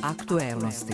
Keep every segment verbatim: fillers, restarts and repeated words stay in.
Aktuelnosti.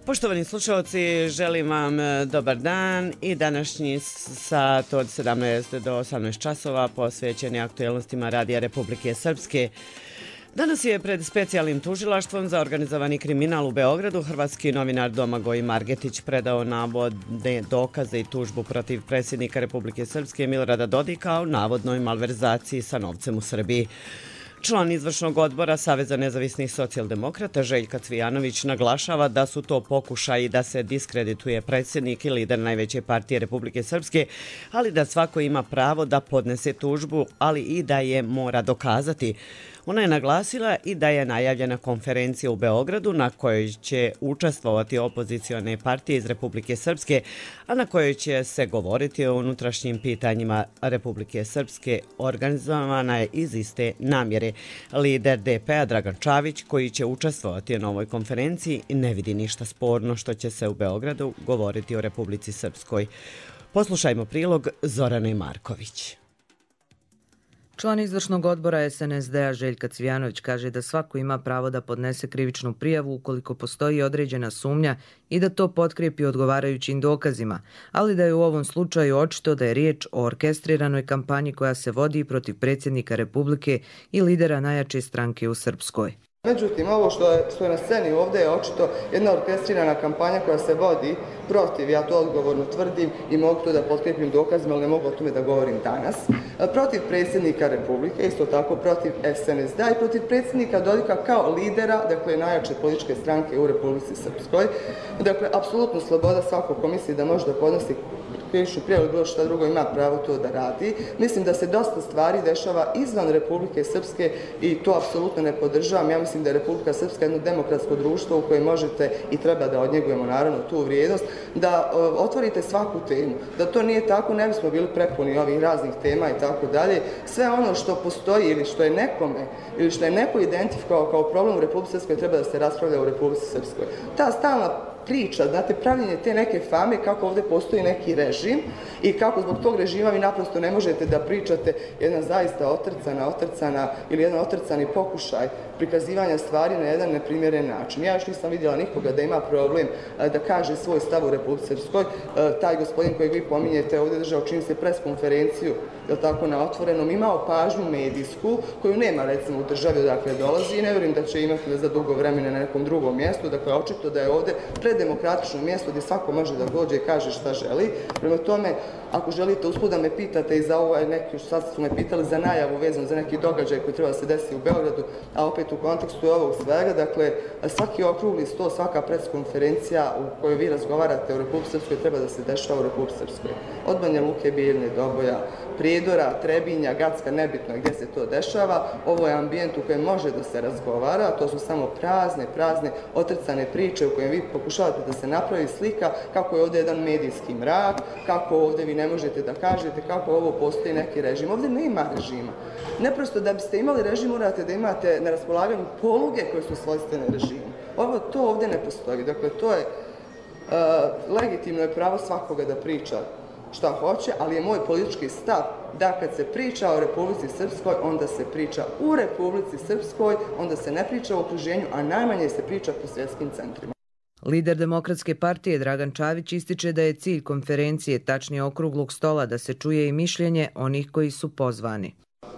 Poštovani slušalci, želim vam dobar dan i današnji sat od sedamnaest do osamnaest časova posvećen je aktuelnostima Radija Republike Srpske. Danas je pred specijalnim tužilaštvom za organizovani kriminal u Beogradu hrvatski novinar Domagoj Margetić predao navodne dokaze i tužbu protiv predsjednika Republike Srpske Milorada Dodika o navodnoj malverzaciji sa novcem u Srbiji. Član izvršnog odbora Saveza nezavisnih socijaldemokrata Željka Cvijanović naglašava da su to pokušaji da se diskredituje predsjednik i lider najveće partije Republike Srpske, ali da svako ima pravo da podnese tužbu, ali i da je mora dokazati. Ona je naglasila i da je najavljena konferencija u Beogradu na kojoj će učestvovati opozicione partije iz Republike Srpske, a na kojoj će se govoriti o unutrašnjim pitanjima Republike Srpske, organizovana je iz iste namjere. Lider D P-a Dragan Čavić, koji će učestvovati na ovoj konferenciji, ne vidi ništa sporno što će se u Beogradu govoriti o Republici Srpskoj. Poslušajmo prilog Zorane Marković. Član izvršnog odbora S N S D-a Željka Cvijanović kaže da svako ima pravo da podnese krivičnu prijavu ukoliko postoji određena sumnja i da to potkrijepi odgovarajućim dokazima, ali da je u ovom slučaju očito da je riječ o orkestriranoj kampanji koja se vodi protiv predsjednika Republike i lidera najjače stranke u Srpskoj. Međutim, ovo što je, što je na sceni ovdje je očito jedna orkestrirana kampanja koja se vodi protiv, ja to odgovorno tvrdim i mogu to da potkrijepim dokazima, ali ne mogu o tome da govorim danas, protiv predsjednika Republike, isto tako protiv S N S D-a i protiv predsjednika Dodika kao lidera, dakle najjače političke stranke u Republici Srpskoj. Dakle, apsolutno sloboda svakog ko misli da može da podnosi krivičnu prijavu ili bilo šta drugo ima pravo to da radi. Mislim da se dosta stvari dešava izvan Republike Srpske i to apsolutno ne podržavam. Ja mislim da je Republika Srpska jedno demokratsko društvo u kojem možete i treba da odnjegujemo naravno tu vrijednost, da uh, otvorite svaku temu. Da to nije tako, ne bismo bili prepuni ovih raznih tema i tako dalje. Sve ono što postoji ili što je nekome ili što je neko identifikovao kao problem u Republici Srpskoj treba da se raspravlja u Republici Srpskoj. Ta stalna priča, znate, pravljenje te neke fame kako ovdje postoji neki režim i kako zbog tog režima vi naprosto ne možete da pričate jedna zaista otrcana, otrcana ili jedan otrcani pokušaj prikazivanja stvari na jedan neprimjeren način. Ja još nisam vidjela nikoga da ima problem da kaže svoj stav u Republici Srpskoj. Taj gospodin kojeg vi pominjete ovdje držao čini se preskonferenciju, je tako, na otvorenom, imao pažnju medijsku koju nema recimo u državi odakle dolazi i ne vjerujem da će imati za dugo vremena na nekom drugom mjestu. Dakle, očito da je ovdje predemokratično mjesto gdje svako može da dođe i kaže šta želi. Prema tome, ako želite usput da me pitate i za ovo neki, sad su me pitali za najavu vezano za neki događaj koji treba se desiti u Beogradu, a opet u kontekstu ovog svega, dakle, svaki okrugli sto, svaka preskonferencija u kojoj vi razgovarate u Republici Srpskoj treba da se dešava u Republici Srpskoj. Od Banja Luke, Bijeljne, Doboja, Prijedora, Trebinja, Gacka, nebitno gdje se to dešava. Ovo je ambijent u kojem može da se razgovara, to su samo prazne, prazne, otrcane priče u kojem vi pokušavate da se napravi slika kako je ovdje jedan medijski mrak, kako ovdje vi ne možete da kažete kako ovo postoji neki režim. Ovdje nema režima. Neprosto da biste imali režim morate da imate na raspolaganju poluge koje su svojstvene režimu. Ovo to ovdje ne postoji. Dakle, to je uh, legitimno je pravo svakoga da priča šta hoće, ali je moj politički stav da kad se priča o Republici Srpskoj, onda se priča u Republici Srpskoj, onda se ne priča o okruženju, a najmanje se priča po svjetskim centrima. Lider Demokratske partije Dragan Čavić ističe da je cilj konferencije, tačnije okruglog stola, da se čuje i mišljenje onih koji su pozvani.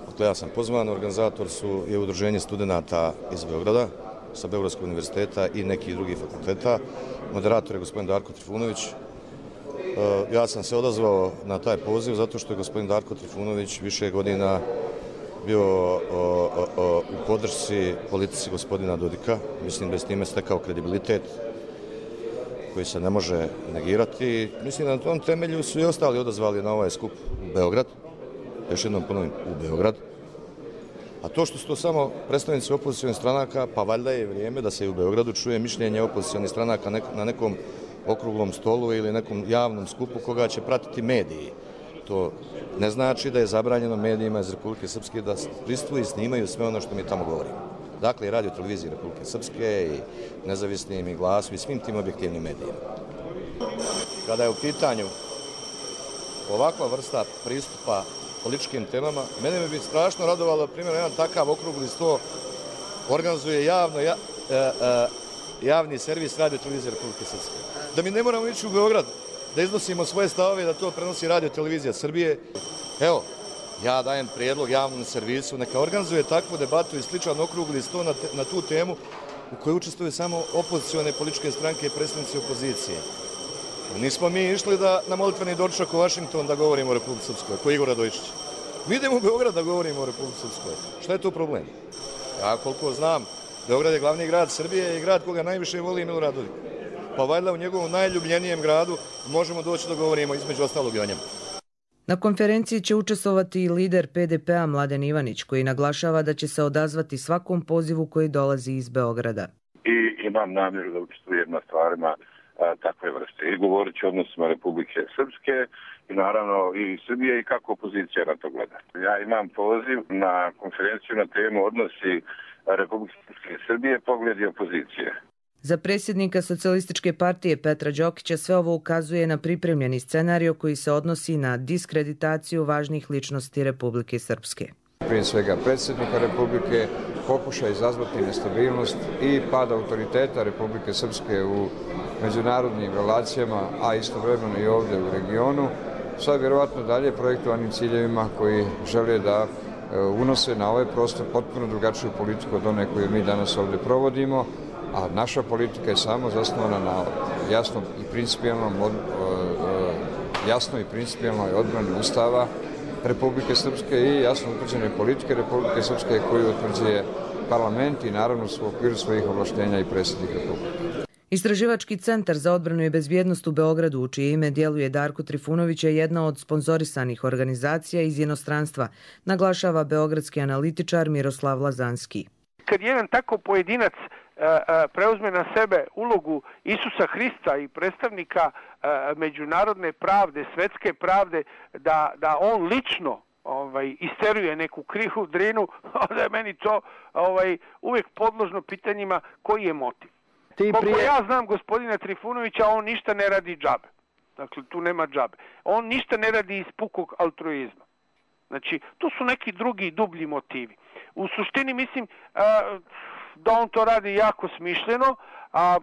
Dakle, ja sam pozvan, organizator su je udruženje studenata iz Beograda, sa Beogradskog univerziteta i nekih drugih fakulteta. Moderator je gospodin Darko Trifunović. Ja sam se odazvao na taj poziv zato što je gospodin Darko Trifunović više godina bio u podršci politici gospodina Dodika. Mislim da je s time stekao kredibilitet koji se ne može negirati. Mislim da na tom temelju su i ostali odazvali na ovaj skup u Beograd. Još jednom ponovim, u Beograd. A to što su to samo predstavnici opozicionih stranaka, pa valjda je vrijeme da se i u Beogradu čuje mišljenje opozicionih stranaka na nekom okruglom stolu ili nekom javnom skupu koga će pratiti mediji. To ne znači da je zabranjeno medijima iz Republike Srpske da prisustuju i snimaju sve ono što mi tamo govorimo. Dakle, i radio televiziji Republike Srpske i nezavisnim i Glasu i svim tim objektivnim medijima. Kada je u pitanju ovakva vrsta pristupa političkim temama, mene bi strašno radovalo, primjer, jedan takav okrugli sto organizuje javno, ja, e, e, javni servis radio televizije Republike Srpske. Da mi ne moramo ići u Beograd, da iznosimo svoje stavove, da to prenosi radio televizija Srbije. Evo, ja dajem prijedlog javnom servisu, neka organizuje takvu debatu i sličan okrugli sto na, te, na tu temu u kojoj učestvuju samo opozicione političke stranke i predstavnici opozicije. Nismo mi išli da na molitveni doručak u Vašington da govorimo o Republike Srpskoj, ko Igor Radojičić. Mi idemo u Beograd da govorimo o Republike Srpskoj. Šta je to problem? Ja koliko znam, Beograd je glavni grad Srbije i grad koga najviše voli Milorad Dodik. Pa valjda u njegovom najljubljenijem gradu možemo doći da govorimo između ostalog i o njemu. Na konferenciji će učestvovati i lider P D P-a Mladen Ivanić, koji naglašava da će se odazvati svakom pozivu koji dolazi iz Beograda. I imam namjeru da učestvujem na stvarima a, takve vrste. I govorit ću o odnosima Republike Srpske i naravno i Srbije i kako opozicija na to gleda. Ja imam poziv na konferenciju na temu odnosi Republike Srpske i Srbije, pogledi opozicije. Za predsjednika Socijalističke partije Petra Đokića sve ovo ukazuje na pripremljeni scenario koji se odnosi na diskreditaciju važnih ličnosti Republike Srpske. Prije svega predsjednika Republike pokuša izazvati nestabilnost i pad autoriteta Republike Srpske u međunarodnim relacijama, a istovremeno i ovdje u regionu, sa vjerovatno dalje projektovanim ciljevima koji žele da unose na ovaj prostor potpuno drugačiju politiku od one koju mi danas ovdje provodimo, a naša politika je samo zasnovana na jasnom i principijelnom jasnoj i principijelnoj odbrani Ustava Republike Srpske i jasno utvrđene politike Republike Srpske koju utvrđuje parlament i naravno u okviru svojih ovlaštenja i predsjednik Republike. Istraživački centar za odbranu i bezbjednost u Beogradu, u čije ime djeluje Darko Trifunović, je jedna od sponzorisanih organizacija iz inostranstva, naglašava beogradski analitičar Miroslav Lazanski. Kad jedan tako pojedinac preuzme na sebe ulogu Isusa Hrista i predstavnika međunarodne pravde, svetske pravde, da, da on lično ovaj, isteruje neku krihu drinu, onda je meni to ovaj, uvijek podložno pitanjima koji je motiv. Ti prije... Koliko ja znam gospodina Trifunovića, on ništa ne radi džabe. Dakle, tu nema džabe. On ništa ne radi iz pukog altruizma. Znači, tu su neki drugi dublji motivi. U suštini mislim da on to radi jako smišljeno, a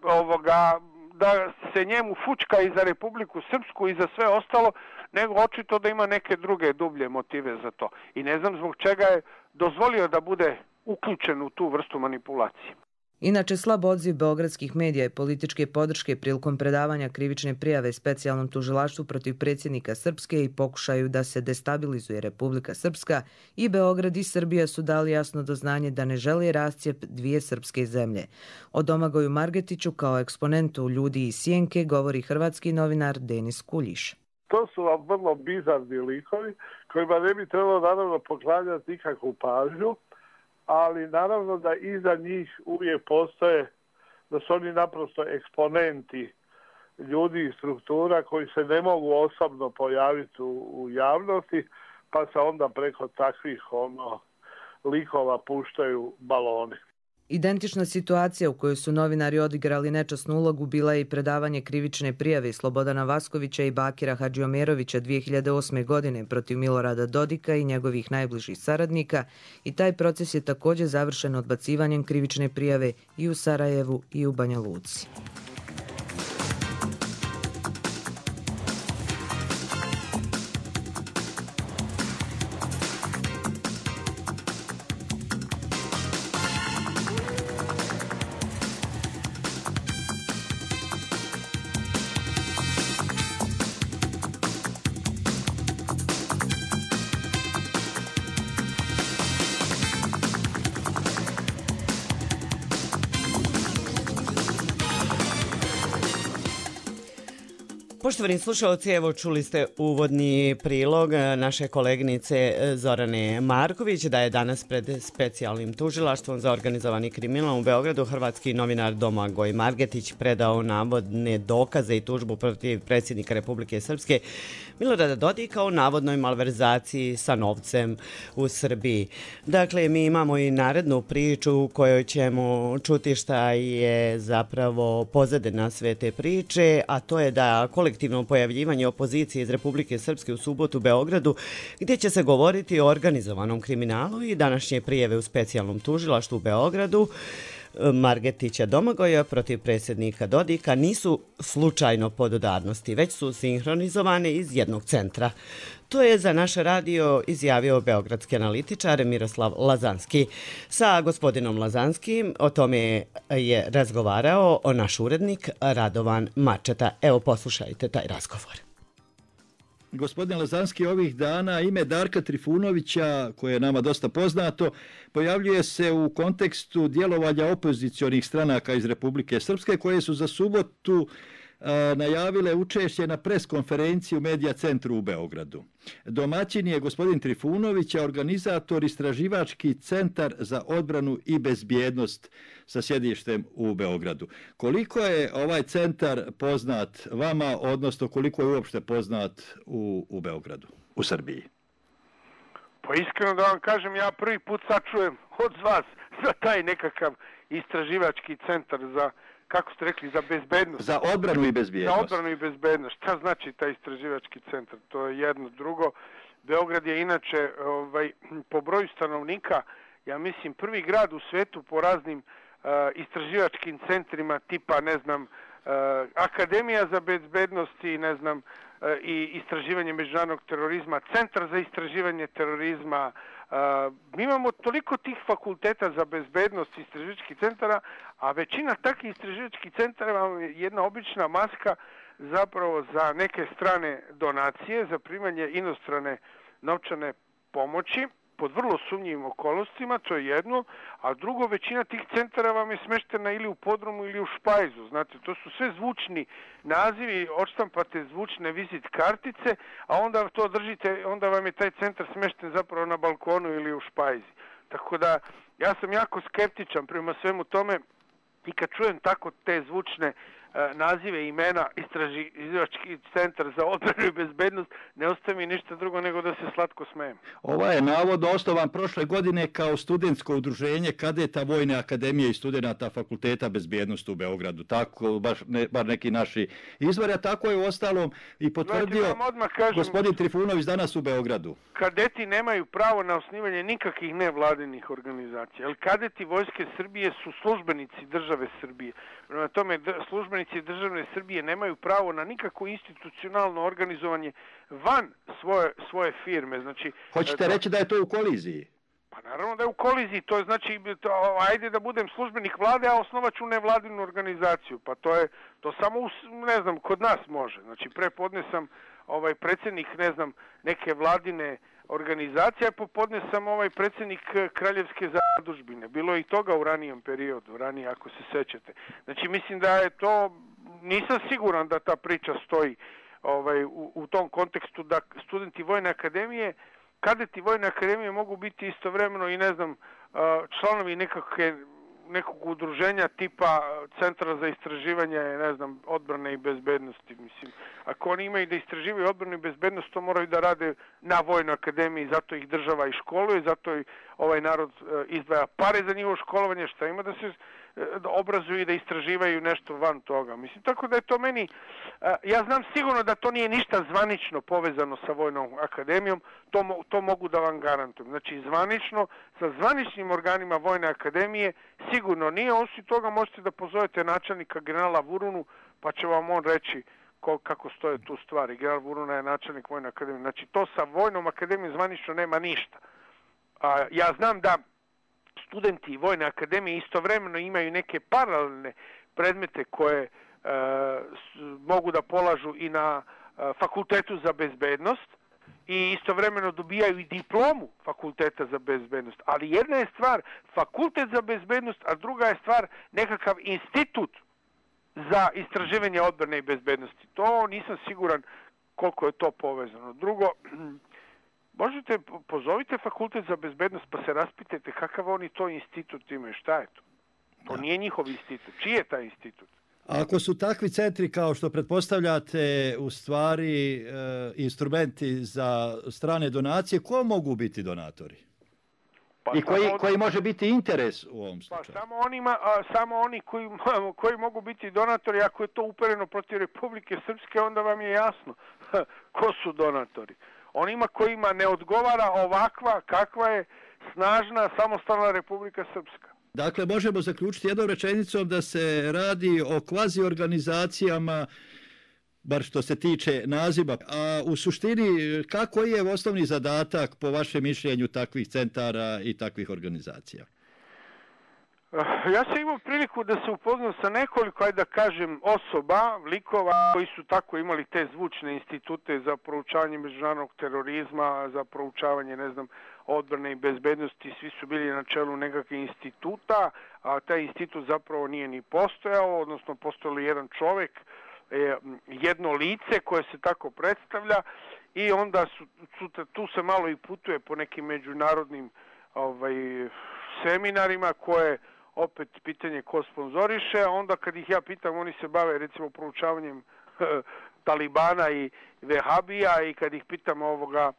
ovoga, da se njemu fučka i za Republiku Srpsku i za sve ostalo, nego očito da ima neke druge dublje motive za to. I ne znam zbog čega je dozvolio da bude uključen u tu vrstu manipulacije. Inače, slab odziv beogradskih medija i političke podrške prilikom predavanja krivične prijave specijalnom tužilaštvu protiv predsjednika Srpske i pokušaju da se destabilizuje Republika Srpska i Beograd i Srbija su dali jasno do znanja da ne žele rascijep dvije srpske zemlje. O Domagoju Margetiću kao eksponentu Ljudi iz Sjenke govori hrvatski novinar Denis Kuljiš. To su vam vrlo bizarni likovi kojima ne bi trebalo naravno poklanjati nikakvu pažnju, ali naravno da iza njih uvijek postoje, da su oni naprosto eksponenti ljudi i struktura koji se ne mogu osobno pojaviti u, u javnosti, pa se onda preko takvih ono, likova puštaju baloni. Identična situacija u kojoj su novinari odigrali nečasnu ulogu bila je i predavanje krivične prijave Slobodana Vaskovića i Bakira Hadžiomerovića dvije hiljade osme. godine protiv Milorada Dodika i njegovih najbližih saradnika i taj proces je također završen odbacivanjem krivične prijave i u Sarajevu i u Banja Luci. Poštovani slušalci, evo čuli ste uvodni prilog naše koleginice Zorane Marković da je danas pred specijalnim tužilaštvom za organizovani kriminal u Beogradu hrvatski novinar Domagoj Margetić predao navodne dokaze i tužbu protiv predsjednika Republike Srpske Milorada Dodika o navodnoj malverzaciji sa novcem u Srbiji. Dakle, mi imamo i narednu priču u kojoj ćemo čuti šta je zapravo pozadina sve te priče, a to je da kolektivno pojavljivanje opozicije iz Republike Srpske u subotu u Beogradu, gdje će se govoriti o organizovanom kriminalu i današnje prijave u specijalnom tužilaštvu u Beogradu Margetića Domagoja protiv predsjednika Dodika nisu slučajno podudarnosti, već su sinhronizovane iz jednog centra. To je za naš radio izjavio beogradski analitičar Miroslav Lazanski. Sa gospodinom Lazanskim o tome je razgovarao naš urednik Radovan Mačeta. Evo, poslušajte taj razgovor. Gospodin Lazanski, ovih dana ime Darka Trifunovića, koje je nama dosta poznato, pojavljuje se u kontekstu djelovanja opozicionih stranaka iz Republike Srpske, koje su za subotu a, najavile učešće na preskonferenciji u Medija centru u Beogradu. Domaćin je gospodin Trifunović, a organizator istraživački centar za odbranu i bezbjednost sa sjedištem u Beogradu. Koliko je ovaj centar poznat vama, odnosno koliko je uopšte poznat u, u Beogradu, u Srbiji? Pa iskreno da vam kažem, ja prvi put sačujem od vas za taj nekakav istraživački centar za, kako ste rekli, za bezbednost. Za odbranu i bezbjednost. Za odbranu i bezbednost. Šta znači taj istraživački centar? To je jedno. Drugo, Beograd je inače ovaj, po broju stanovnika, ja mislim, prvi grad u svetu po raznim uh, istraživačkim centrima tipa, ne znam, uh, Akademija za bezbednost i, ne znam, uh, i istraživanje međunarodnog terorizma, Centar za istraživanje terorizma. Uh, mi imamo toliko tih fakulteta za bezbednost istraživačkih centara, a većina takvih istraživačkih centara je jedna obična maska zapravo za neke strane donacije, za primanje inostrane novčane pomoći pod vrlo sumnjivim okolnostima, to je jedno, a drugo, većina tih centara vam je smeštena ili u podrumu ili u špajzu. Znate, to su sve zvučni nazivi, odštampate zvučne vizit kartice, a onda to držite, onda vam je taj centar smešten zapravo na balkonu ili u špajzi. Tako da, ja sam jako skeptičan prema svemu tome i kad čujem tako te zvučne nazive, imena, istraživački centar za odbranu i bezbednost, ne ostaje mi ništa drugo nego da se slatko smejem. Ova je navodno osnovan prošle godine kao studentsko udruženje kadeta Vojne akademije i studenta Fakulteta bezbjednosti u Beogradu. Tako, baš ne, bar neki naši izvori, a tako je u ostalom i potvrdio znači, kažem, gospodin Trifunović danas u Beogradu. Kadeti nemaju pravo na osnivanje nikakvih nevladinih organizacija, jer kadeti Vojske Srbije su službenici države Srbije. Prema tome, službenici državne Srbije nemaju pravo na nikakvo institucionalno organizovanje van svoje, svoje firme. Znači, hoćete to, reći da je to u koliziji? Pa naravno da je u koliziji. To je znači, to, ajde da budem službenik vlade, a osnovat ću nevladinu organizaciju. Pa to je, to samo, u, ne znam, kod nas može. Znači, prepodne sam ovaj, predsjednik, ne znam, neke vladine organizacija, popodne sam ovaj predsjednik Kraljevske zadužbine. Bilo je i toga u ranijem periodu, ranije ako se sećate. Znači, mislim da je to, nisam siguran da ta priča stoji ovaj, u, u tom kontekstu da studenti Vojne akademije, kadeti Vojne akademije mogu biti istovremeno i, ne znam, članovi nekakve nekog udruženja tipa Centra za istraživanje, ne znam, odbrane i bezbednosti. Mislim, ako oni imaju da istraživaju odbranu i bezbednost, to moraju da rade na Vojnoj akademiji, zato ih država i školuje, zato i ovaj narod izdvaja pare za njihovo školovanje, šta ima da se da obrazuju i da istraživaju nešto van toga. Mislim, tako da je to meni, ja znam sigurno da to nije ništa zvanično povezano sa Vojnom akademijom, to, to mogu da vam garantujem. Znači, zvanično, sa zvaničnim organima Vojne akademije sigurno nije, osim toga možete da pozovete načelnika generala Vurunu, pa će vam on reći kako stoje tu stvari. General Vuruna je načelnik Vojne akademije. Znači, to sa Vojnom akademijom zvanično nema ništa. A, ja znam da studenti Vojne akademije istovremeno imaju neke paralelne predmete koje e, mogu da polažu i na e, fakultetu za bezbednost i istovremeno dobijaju i diplomu fakulteta za bezbednost. Ali jedna je stvar fakultet za bezbednost, a druga je stvar nekakav institut za istraživanje odbrane i bezbednosti. To nisam siguran koliko je to povezano. Drugo, možete, pozovite fakultet za bezbednost pa se raspitajte kakav oni to institut imaju, šta je to? To da. Nije njihov institut. Čiji je taj institut? Ako su takvi centri kao što pretpostavljate u stvari e, instrumenti za strane donacije, ko mogu biti donatori? Pa I koji, koji može biti interes u ovom slučaju? Pa samo, onima, a, samo oni koji, koji mogu biti donatori, ako je to upereno protiv Republike Srpske, onda vam je jasno ko su donatori. Onima kojima ne odgovara ovakva kakva je snažna samostalna Republika Srpska. Dakle, možemo zaključiti jednom rečenicom da se radi o kvazi organizacijama, bar što se tiče naziva. A u suštini, kako je osnovni zadatak po vašem mišljenju takvih centara i takvih organizacija? Ja sam imao priliku da se upoznam sa nekoliko, ajde da kažem, osoba, likova koji su tako imali te zvučne institute za proučavanje međunarodnog terorizma, za proučavanje, ne znam, odbrane i bezbednosti, svi su bili na čelu nekakvih instituta, a taj institut zapravo nije ni postojao, odnosno postojao jedan čovjek, jedno lice koje se tako predstavlja i onda su, su, tu se malo i putuje po nekim međunarodnim ovaj, seminarima koje opet pitanje ko sponzoriše, a onda kad ih ja pitam, oni se bave recimo proučavanjem Talibana i Vehabija i kad ih pitam ovoga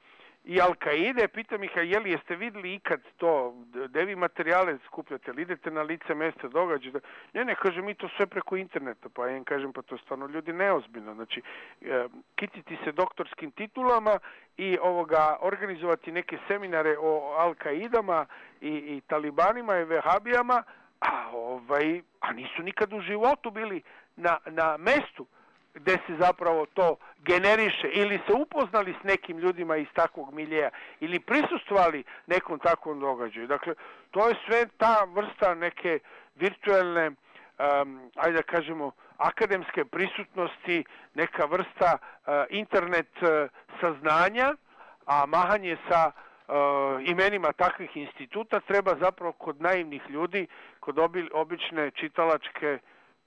i Al-Kaide, pitam ih, a je li jeste vidjeli ikad to, gde vi materijale skupljate, ili idete na lice mesta događaja? Ne, ne, kaže, mi to sve preko interneta, pa ja im kažem, pa to stvarno ljudi neozbiljno, znači, e, kititi se doktorskim titulama i ovoga, organizovati neke seminare o Al-Kaidama i, i Talibanima i Vehabijama, a, ovaj, a nisu nikad u životu bili na, na mestu gde se zapravo to generiše ili se upoznali s nekim ljudima iz takvog miljeja ili prisustvovali nekom takvom događaju. Dakle, to je sve ta vrsta neke virtualne, um, ajde da kažemo, akademske prisutnosti, neka vrsta uh, internet uh, saznanja, a mahanje sa uh, imenima takvih instituta treba zapravo kod naivnih ljudi, kod obi, obične čitalačke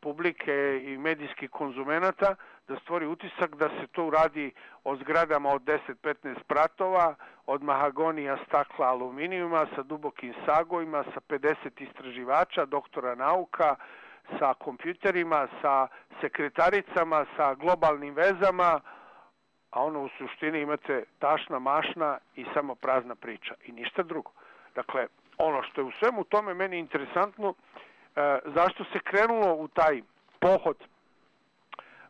publike i medijskih konzumenata, da stvori utisak da se to radi o zgradama od deset do petnaest spratova, od mahagonija, stakla, aluminijuma, sa dubokim sagojima, sa pedeset istraživača, doktora nauka, sa kompjuterima, sa sekretaricama, sa globalnim vezama, a ono u suštini imate tašna, mašna i samo prazna priča i ništa drugo. Dakle, ono što je u svemu tome meni interesantno, E, zašto se krenulo u taj pohod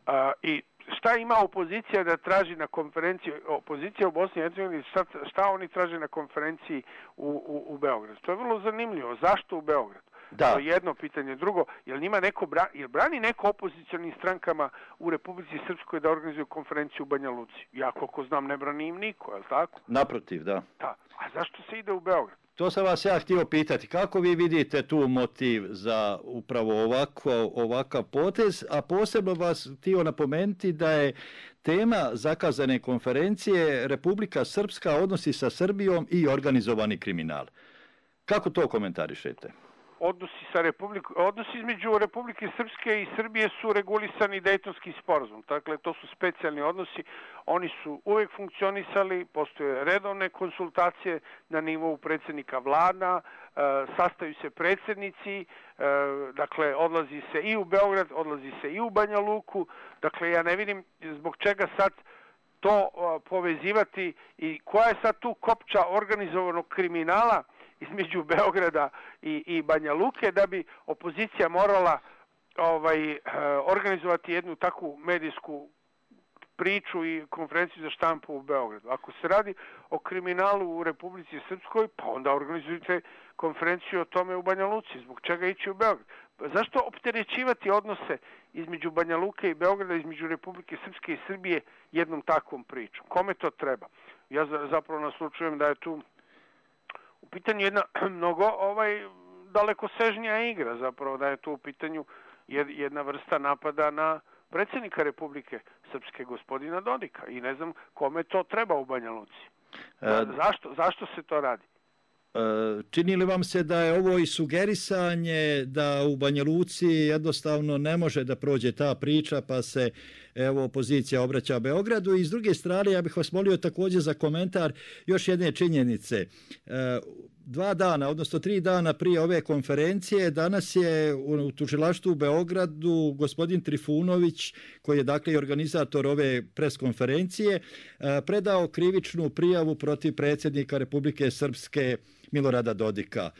e, i šta ima opozicija da traži na konferenciji, opozicija u Bosni i Hercegovini, šta, šta oni traže na konferenciji u, u, u Beogradu. To je vrlo zanimljivo. Zašto u Beogradu? Da. To je jedno pitanje. Drugo, jel njima neko bra, jel brani neko opozicionim strankama u Republici Srpskoj da organizuju konferenciju u Banja Luci? Ja koliko znam ne brani im niko, je li tako? Naprotiv, da. Da. A zašto se ide u Beograd? To sam vas ja htio pitati, kako vi vidite tu motiv za upravo ovako, ovakav potez, a posebno vas htio napomenuti da je tema zakazane konferencije Republika Srpska, odnosi sa Srbijom i organizovani kriminal. Kako to komentarišete? odnosi sa Republikom, odnosi između Republike Srpske i Srbije su regulisani Dejtonski sporazum. Dakle, to su specijalni odnosi. Oni su uvek funkcionisali, postoje redovne konsultacije na nivou predsjednika vlada, e, sastaju se predsjednici, e, dakle, odlazi se i u Beograd, odlazi se i u Banja Luku. Dakle, ja ne vidim zbog čega sad to a, povezivati i koja je sad tu kopča organizovanog kriminala između Beograda i, i Banja Luke da bi opozicija morala ovaj, organizovati jednu takvu medijsku priču i konferenciju za štampu u Beogradu. Ako se radi o kriminalu u Republici Srpskoj, pa onda organizujte konferenciju o tome u Banja Luci. Zbog čega ići u Beograd? Zašto opterećivati odnose između Banja Luke i Beograda, između Republike Srpske i Srbije jednom takvom pričom? Kome to treba? Ja zapravo naslučujem da je tu u pitanju jedna mnogo ovaj dalekosežnija igra, zapravo da je tu u pitanju jedna vrsta napada na predsjednika Republike Srpske, gospodina Dodika, i ne znam kome to treba u Banja Luci. E, zašto, zašto se to radi? Čini li vam se da je ovo i sugerisanje da u Banja Luci jednostavno ne može da prođe ta priča, pa se evo opozicija obraća Beogradu? I s druge strane, ja bih vas molio također za komentar još jedne činjenice. Dva dana, odnosno tri dana prije ove konferencije, danas je u tužilaštvu u Beogradu gospodin Trifunović, koji je dakle i organizator ove preskonferencije, predao krivičnu prijavu protiv predsjednika Republike Srpske Milorada Dodika.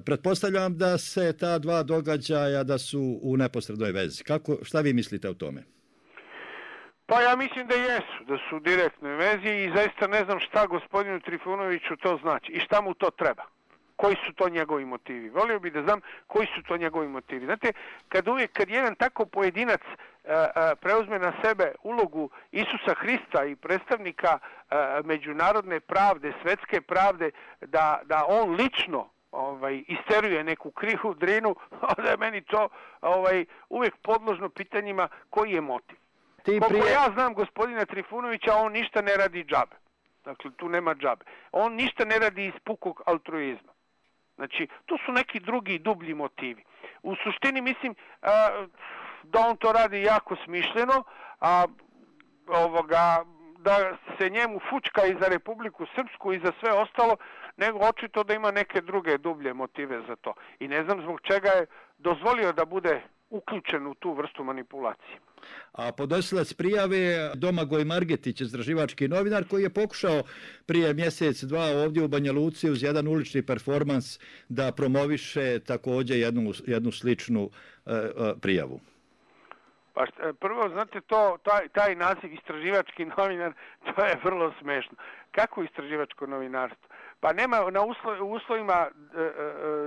Pretpostavljam da se ta dva događaja da su u neposrednoj vezi. Kako, šta vi mislite o tome? Pa ja mislim da jesu, da su u direktnoj vezi i zaista ne znam šta gospodinu Trifunoviću to znači i šta mu to treba. Koji su to njegovi motivi? Volio bih da znam koji su to njegovi motivi. Znate, kad uvijek, kad jedan tako pojedinac a, a, preuzme na sebe ulogu Isusa Hrista i predstavnika a, međunarodne pravde, svetske pravde, da, da on lično ovaj, isteruje neku krivu drinu, onda je meni to ovaj, uvijek podložno pitanjima koji je motiv. Ti Koliko prije... ja znam gospodina Trifunovića, on ništa ne radi džabe. Dakle, tu nema džabe. On ništa ne radi iz pukog altruizma. Znači, tu su neki drugi dublji motivi. U suštini mislim a, da on to radi jako smišljeno, a ovoga, da se njemu fučka i za Republiku Srpsku i za sve ostalo, nego očito da ima neke druge dublje motive za to. I ne znam zbog čega je dozvolio da bude uključen u tu vrstu manipulacije. A podnosilac prijave Domagoj Margetić, istraživački novinar, koji je pokušao prije mjesec, dva ovdje u Banja Luci uz jedan ulični performans da promoviše također jednu, jednu sličnu e, e, prijavu. Pa šta, prvo, znate, to, taj, taj naziv istraživački novinar, to je vrlo smešno. Kako istraživačko novinarstvo? Pa nema na uslo, uslovima,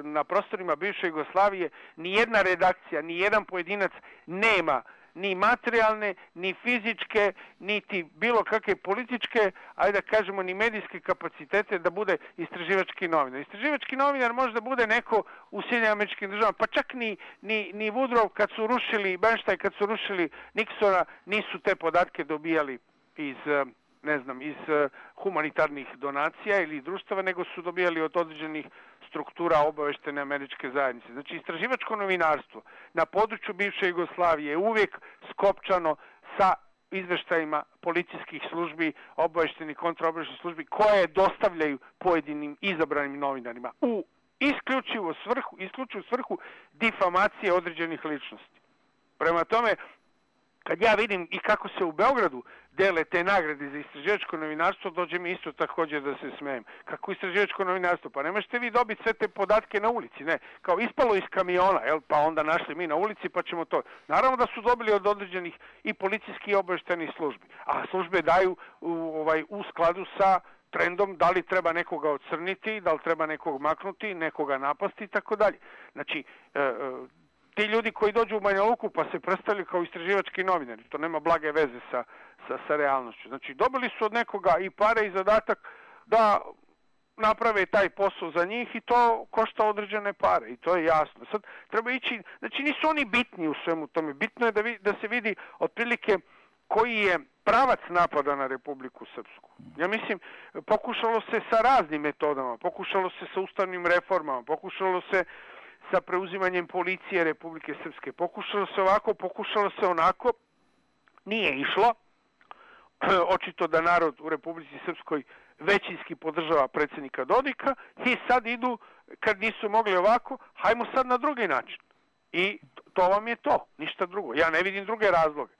na prostorima bivše Jugoslavije, ni jedna redakcija, ni jedan pojedinac nema ni materijalne, ni fizičke, niti bilo kakve političke, ajde da kažemo, ni medijske kapacitete da bude istraživački novinar. Istraživački novinar može da bude neko u Sjedinjenim Američkim Državama, pa čak ni, ni, ni Woodrow kad su rušili, Bernstein kad su rušili Nixona, nisu te podatke dobijali iz, ne znam, iz humanitarnih donacija ili društava, nego su dobijali od određenih struktura obaveštene američke zajednice. Znači, istraživačko novinarstvo na području bivše Jugoslavije je uvijek skopčano sa izveštajima policijskih službi, obaveštenih kontraobaveštenih službi, koje dostavljaju pojedinim izabranim novinarima u isključivu svrhu, isključivu svrhu difamacije određenih ličnosti. Prema tome, kad ja vidim i kako se u Beogradu dele te nagrade za istraživačko novinarstvo, dođe mi isto također da se smijem. Kako istraživačko novinarstvo? Pa ne možete vi dobiti sve te podatke na ulici, ne. Kao ispalo iz kamiona, jel? Pa onda našli mi na ulici pa ćemo to. Naravno da su dobili od određenih i policijskih i obavještajnih službi. A službe daju u, ovaj, u skladu sa trendom da li treba nekoga ocrniti, da li treba nekog maknuti, nekoga napasti i tako dalje. Znači, e, e, ti ljudi koji dođu u Banja Luku pa se predstavljaju kao istraživački novinari, to nema blage veze sa, sa, sa realnošću. Znači, dobili su od nekoga i pare i zadatak da naprave taj posao za njih i to košta određene pare i to je jasno. Sad treba ići, znači nisu oni bitni u svemu tome, bitno je da, vi, da se vidi otprilike koji je pravac napada na Republiku Srpsku. Ja mislim, pokušalo se sa raznim metodama, pokušalo se sa ustavnim reformama, pokušalo se sa preuzimanjem policije Republike Srpske. Pokušalo se ovako, pokušalo se onako, nije išlo. Očito da narod u Republici Srpskoj većinski podržava predsjednika Dodika i sad idu, kad nisu mogli ovako, hajmo sad na drugi način. I to vam je to, ništa drugo. Ja ne vidim druge razloge.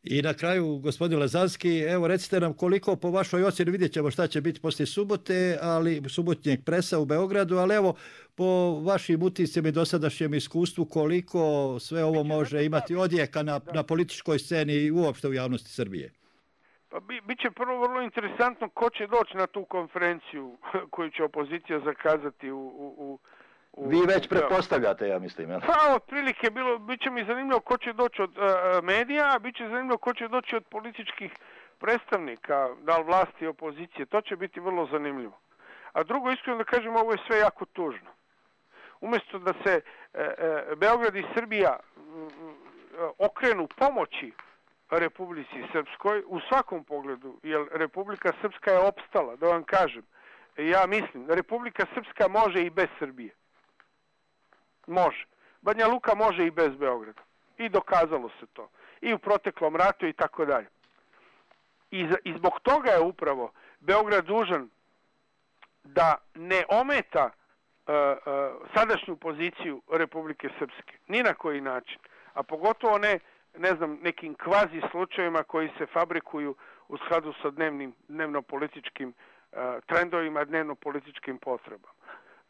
I na kraju, gospodin Lazanski, evo recite nam koliko po vašoj ocjeni, vidjet ćemo šta će biti poslije subote, ali subotnjeg presa u Beogradu, ali evo po vašim utiscima i dosadašnjem iskustvu koliko sve ovo može imati odjeka na, na političkoj sceni i uopšte u javnosti Srbije? Pa bi, bit će prvo vrlo interesantno ko će doći na tu konferenciju koju će opozicija zakazati u... u, u Vi već pretpostavljate, ja mislim. Ja? Pa, otprilike, bilo, bit će mi zanimljivo ko će doći od uh, medija, a bit će zanimljivo ko će doći od političkih predstavnika, da li vlasti i opozicije. To će biti vrlo zanimljivo. A drugo, iskreno da kažem, ovo je sve jako tužno. Umjesto da se uh, uh, Beograd i Srbija uh, okrenu pomoći Republici Srpskoj u svakom pogledu, jer Republika Srpska je opstala, da vam kažem. Ja mislim da Republika Srpska može i bez Srbije. Može. Banja Luka može i bez Beograda. I dokazalo se to. I u proteklom ratu i tako dalje. I, I zbog toga je upravo Beograd dužan da ne ometa uh, uh, sadašnju poziciju Republike Srpske. Ni na koji način. A pogotovo ne, ne znam, nekim kvazi slučajevima koji se fabrikuju u skladu sa dnevnim, dnevno-političkim uh, trendovima, dnevno-političkim potrebama.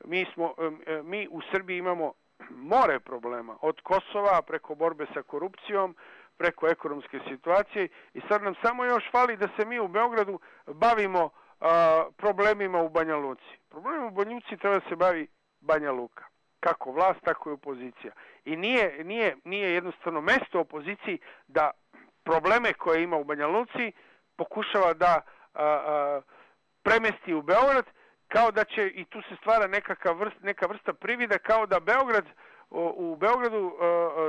Mi, smo, um, mi u Srbiji imamo more problema, od Kosova preko borbe sa korupcijom, preko ekonomske situacije i sad nam samo još fali da se mi u Beogradu bavimo a, problemima u Banja Luci. Problemima u Banja Luci treba da se bavi Banja Luka. Kako vlast, tako i opozicija. I nije, nije, nije jednostavno mesto opoziciji da probleme koje ima u Banja Luci pokušava da a, a, premesti u Beograd, kao da će, i tu se stvara nekaka vrst, neka vrsta privida, kao da Beograd, u Beogradu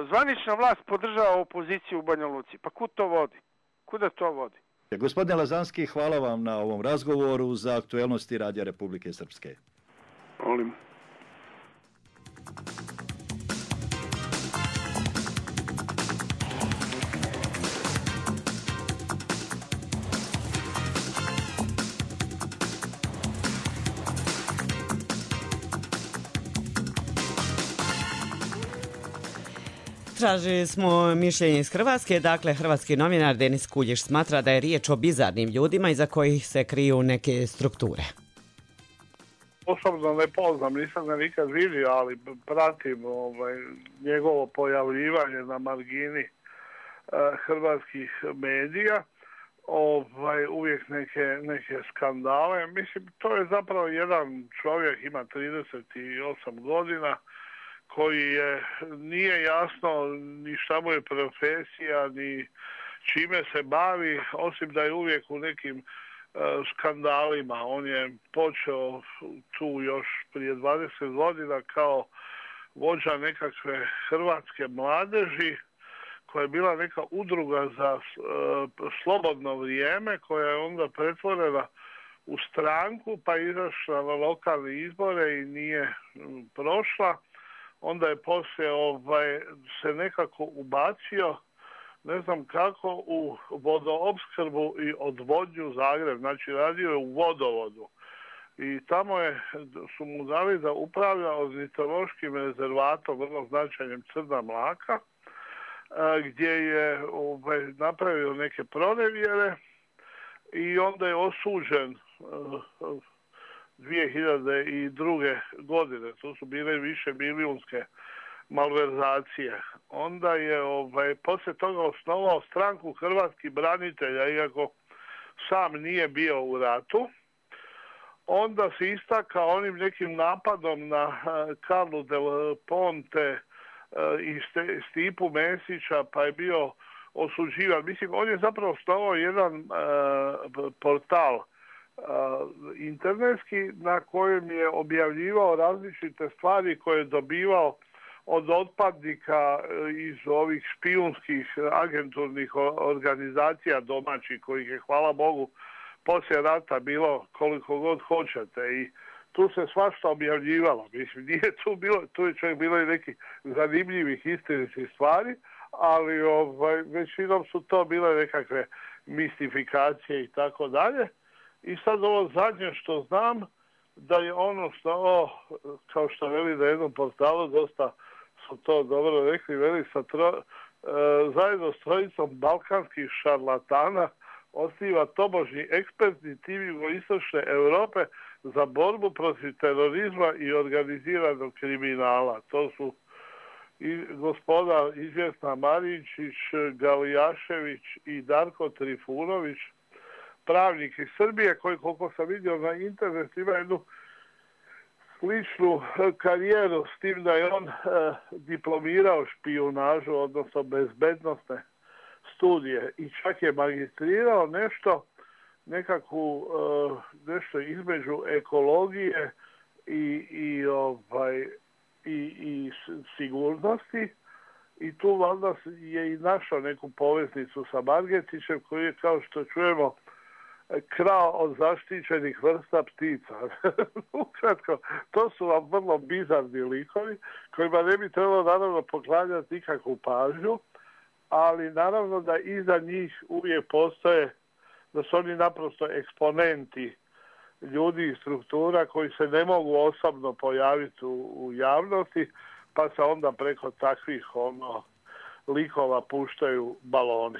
zvanična vlast podržava opoziciju u Banja Luci. Pa kud to vodi? Kuda to vodi? Gospodine Lazanski, hvala vam na ovom razgovoru za aktuelnosti Radija Republike Srpske. Molim. Tražili smo mišljenje iz Hrvatske. Dakle, hrvatski novinar Denis Kuljiš smatra da je riječ o bizarnim ljudima iza kojih se kriju neke strukture. Osobno ne poznam, nisam ga nikad vidio, ali pratim ovaj, njegovo pojavljivanje na margini uh, hrvatskih medija. Ovaj, uvijek neke, neke skandale. Mislim, to je zapravo jedan čovjek, ima trideset osam godina, koji je, nije jasno ni šta mu je profesija, ni čime se bavi, osim da je uvijek u nekim uh, skandalima. On je počeo tu još prije dvadeset godina kao vođa nekakve hrvatske mladeži, koja je bila neka udruga za uh, slobodno vrijeme, koja je onda pretvorena u stranku, pa izašla na lokalne izbore i nije um, prošla. Onda je poslije ovaj, se nekako ubacio, ne znam kako, u vodoopskrbu i odvodnju Zagreb. Znači, radio je u vodovodu. I tamo je, su mu dali da upravlja ornitološkim rezervatom, vrlo značajnim Crna Mlaka, gdje je ovaj, napravio neke pronevjere i onda je osuđen dvije hiljade druge. godine. To su bile više milijunske malverzacije. Onda je ovaj, poslije toga osnovao stranku hrvatskih branitelja, iako sam nije bio u ratu. Onda se istakao onim nekim napadom na Karlu del Ponte i Stipu Mesića, pa je bio osuđivan. Mislim, on je zapravo osnovao jedan uh, portal internetski na kojem je objavljivao različite stvari koje je dobivao od otpadnika iz ovih špijunskih agenturnih organizacija domaćih, kojih je, hvala Bogu, poslije rata bilo koliko god hoćete. I tu se svašta objavljivalo. Mislim, nije tu bilo, tu je čak bilo i nekih zanimljivih istinitih stvari, ali ovaj, većinom su to bile nekakve mistifikacije i tako dalje. I sad ovo zadnje što znam, da je ono što, o, kao što veli na jednom portalu, dosta su to dobro rekli, veli sa tro, e, zajedno s trojicom balkanskih šarlatana osniva tobožnji ekspertni tim jugoistočne Europe za borbu protiv terorizma i organiziranog kriminala. To su i gospoda izvjesna Marinčić, Galijašević i Darko Trifunović, pravnik iz Srbije, koji, koliko sam vidio na internetu, ima jednu sličnu karijeru, s tim da je on e, diplomirao špijunažu, odnosno bezbednosne studije i čak je magistrirao nešto, nekakvu, e, nešto između ekologije i, i, ovaj, i, i sigurnosti. I tu valjda je i našao neku poveznicu sa Margetićem, koji je, kao što čujemo, krao od zaštićenih vrsta ptica. Ukratko, to su vam vrlo bizarni likovi kojima ne bi trebalo naravno poklanjati nikakvu pažnju, ali naravno da iza njih uvijek postoje, da su oni naprosto eksponenti ljudi i struktura koji se ne mogu osobno pojaviti u, u javnosti, pa se onda preko takvih ono, likova puštaju baloni.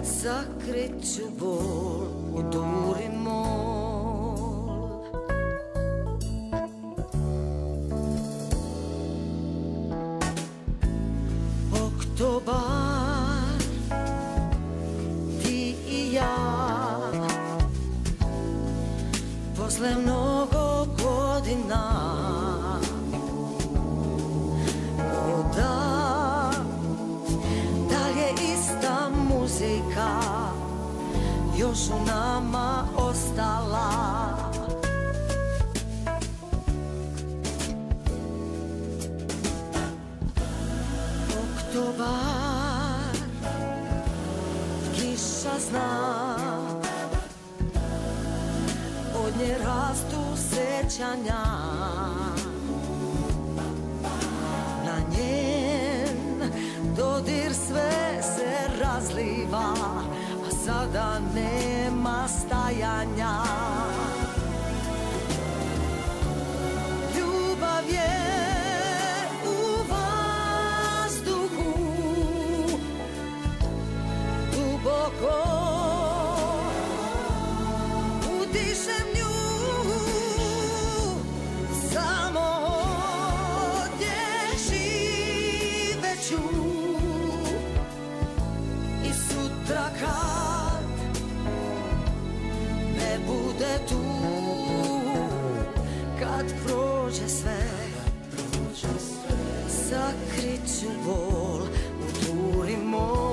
Sakrit ću bol u duri mol. Oktobar, ti i ja, posle mnogo godina, voda, da li je ista muzika još u nama ostala? Oktobar, kiša zna, od nje rastu sećanja, na njen dodir sve se razliva, a sada nema stajanja. Ljubav je u vazduhu, duboko udišem nju, samo ovdje živeću. I sutra kad ne bude tu, kad prođe sve, sakrit ću bol u turi mol.